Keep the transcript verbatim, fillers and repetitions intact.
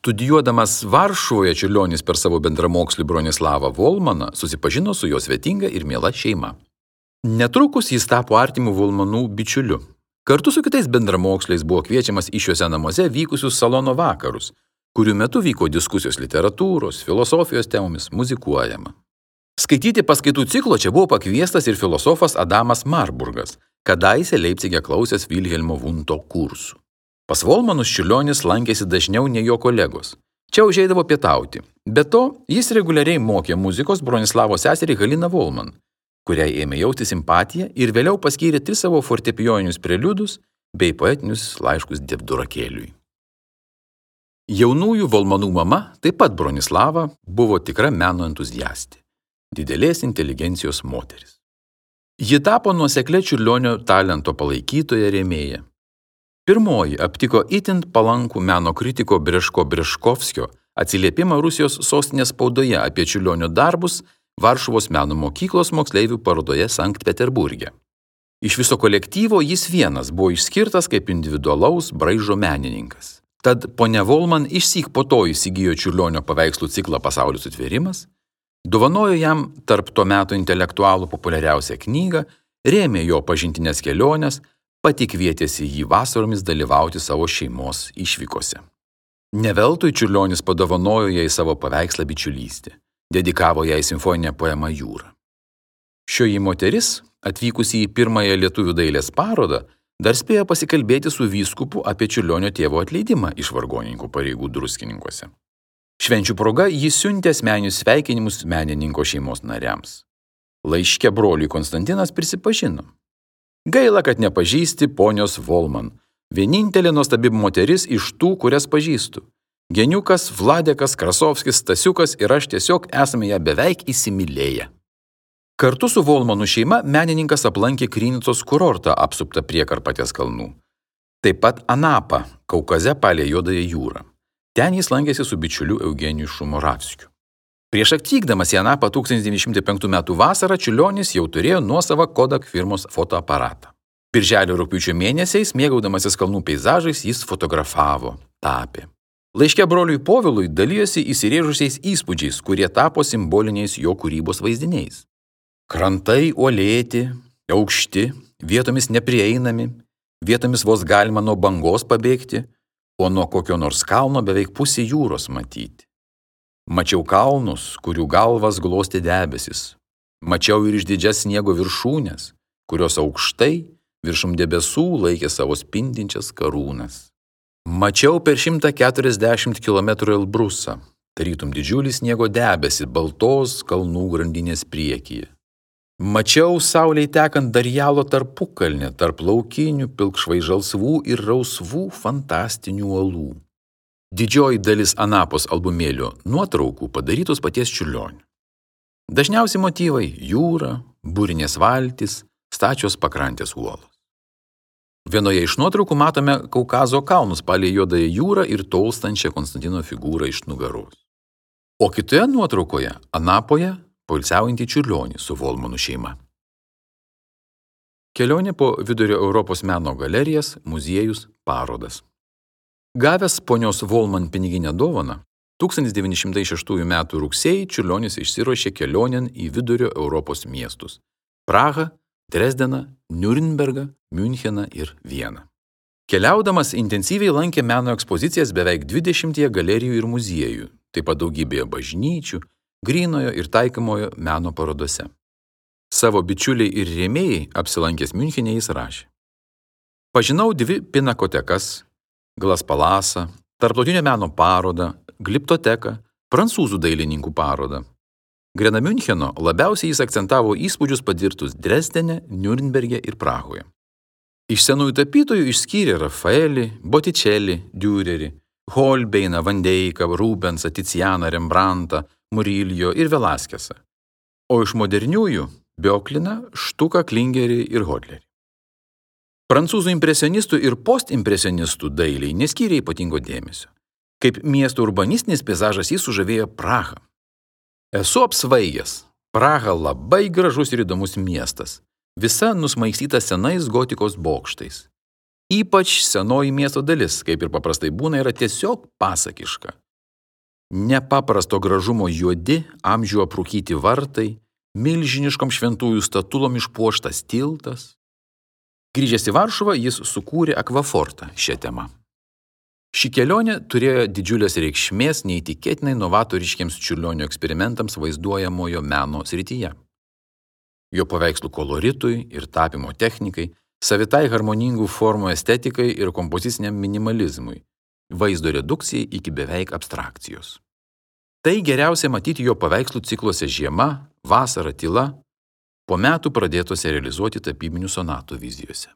Studijuodamas Varšuvoje Čiurlionis per savo bendramokslį Bronislavą Volmaną susipažino su jo svetinga ir miela šeima. Netrukus jis tapo artimu Volmanų bičiuliu. Kartu su kitais bendramoksliais buvo kviečiamas į šiuose namuose vykusius salono vakarus, kurių metu vyko diskusijos literatūros, filosofijos temomis, muzikuojama. Skaityti paskaitų ciklo čia buvo pakviestas ir filosofas Adamas Marburgas, kadaise Leipcige klausęs Vilhelmo Vunto kursų. Pas Volmanus Čiurlionis lankėsi dažniau nei jo kolegos. Čia užeidavo pietauti. Be to, jis reguliariai mokė muzikos Bronislavo seserį Haliną Volman, kuriai ėmė jausti simpatiją ir vėliau paskyrė tris savo fortepijoninius preliudus bei poetinius laiškus Devdurakėliui. Jaunųjų Volmanų mama, taip pat Bronislava, buvo tikra meno entuziastė, didelės inteligencijos moteris. Ji tapo nuoseklia Čiurlionio talento palaikytoja rėmėja. Pirmoji aptiko itin palankų meno kritiko Breško Breškovskio atsiliepimą Rusijos sostinės spaudoje apie Čiurlionio darbus Varšuvos meno mokyklos moksleivių parodoje Sankt Peterburge. Iš viso kolektyvo jis vienas buvo išskirtas kaip individualaus braižo menininkas. Tad ponia Volman išsyk po to įsigijo Čiurlionio paveikslų ciklą Pasaulio sutvėrimas, dovanojo jam tarp to meto intelektualų populiariausią knygą, rėmė jo pažintinės keliones, pati kvietėsi jį vasaromis dalyvauti savo šeimos išvykose. Neveltui Čiurlionis padovanojo jai savo paveikslą Bičiulystė, dedikavo jai simfoninę poemą Jūra. Šioji moteris, atvykusi į pirmąją lietuvių dailės parodą, dar spėjo pasikalbėti su vyskupu apie Čiurlionio tėvo atleidimą iš vargonininkų pareigų Druskininkuose. Švenčių proga jis siuntė asmeninius sveikinimus menininko šeimos nariams. Laiške broliui Konstantinas prisipažino: gaila, kad nepažįsti ponios Volman, vienintelė nuostabi moteris iš tų, kurias pažįstu. Geniukas, Vladekas, Krasovskis, Stasiukas ir aš tiesiog esame ją beveik įsimylėję. Kartu su Volmanų šeima menininkas aplankė Krynicos kurortą apsuptą prie Karpatės kalnų. Taip pat Anapą, Kaukaze palei Juodąją jūrą. Ten jis lankėsi su bičiuliu Eugeniju Šumoravskiu. Prieš atvykdamas į Anapą tūkstantis devyni šimtai penktų metų vasarą Čiurlionis jau turėjo nuosavą Kodak firmos fotoaparatą. Birželio rugpjūčio mėnesiais, mėgaudamasis kalnų peizažais, jis fotografavo, tapė. Laiške broliui Povilui dalijosi įsirėžusiais įspūdžiais, kurie tapo simboliniais jo kūrybos vaizdiniais. Krantai uolėti, aukšti, vietomis neprieinami, vietomis vos galima nuo bangos pabėgti, o nuo kokio nors kalno beveik pusė jūros matyti. Mačiau kalnus, kurių galvas glostė debesis. Mačiau ir išdidžias sniego viršūnes, kurios aukštai viršum debesų laikė savo spindinčias karūnas. Mačiau per šimtą keturiasdešimt kilometrų Elbrusą, tarytum didžiulį sniego debesį baltos kalnų grandinės priekyje. Mačiau saulei tekant Darjalo tarpukalnę tarp laukinių, pilkšvai žalsvų ir rausvų fantastinių uolų. Didžioji dalis Anapos albumėlio nuotraukų padarytos paties Čiurlionio. Dažniausi motyvai – jūra, būrinės valtys, stačios pakrantės uolos. Vienoje iš nuotraukų matome Kaukazo kalnus palei Juodąją jūrą ir tolstančią Konstantino figūrą iš nugaros. O kitoje nuotraukoje Anapoje poilsiaujantį Čiurlionį su Volmanų šeima. Kelionė po Vidurio Europos meno galerijas, muziejus, parodas. Gavęs ponios Volman piniginę dovaną, tūkstantis devyni šimtai šeštųjų metų rugsėjį Čiurlionis išsiruošė kelionėn į Vidurio Europos miestus – Prahą, Dresdeną, Niurnbergą, Miuncheną ir Vieną. Keliaudamas intensyviai lankė meno ekspozicijas beveik dvidešimtyje galerijų ir muziejų, taip pat daugybėje bažnyčių, grynojo ir taikomojo meno parodose. Savo bičiuliai ir rėmėjai apsilankęs Miunchene jis rašė: pažinau dvi pinakotekas, Glas Palasą, tarptautinio meno parodą, Gliptoteką, prancūzų dailininkų parodą. Greta Miuncheno labiausiai jis akcentavo įspūdžius patirtus Dresdene, Niurnberge ir Prahoje. Iš senųjų tapytojų išskyrė Rafaelį, Botticelli, Dürerį, Holbeiną, Van Dyką, Rubensą, Ticianą, Rembrandtą, Murillo ir Velaskesą. O iš moderniųjų Biokliną, Štuką, Klingerį ir Hodlerį. Prancūzų impresionistų ir postimpresionistų dailiai neskyrė ypatingo dėmesio. Kaip miesto urbanistinis peizažas jis sužavėjo Prahą. Esu apsvaigęs. Praha labai gražus ir įdomus miestas. Visa nusmaigstyta senais gotikos bokštais. Ypač senoji miesto dalis, kaip ir paprastai būna, yra tiesiog pasakiška. nepaprasto gražumo juodi, amžių aprūkyti vartai, milžiniškom šventųjų statulom išpuoštas tiltas. Grįžęs į Varšuvą, jis sukūrė akvafortą šią temą. Ši kelionė turėjo didžiulės reikšmės neįtikėtinai novatoriškiams Čiurlionio eksperimentams vaizduojamojo meno srityje. Jo paveikslų koloritui ir tapimo technikai, savitai harmoningų formų estetikai ir kompoziciniam minimalizmui, vaizdo redukcijai iki beveik abstrakcijos. Tai geriausiai matyti jo paveikslų cikluose Žiema, Vasara, Tyla, po metų pradėtose realizuoti tapybinių sonatų vizijose.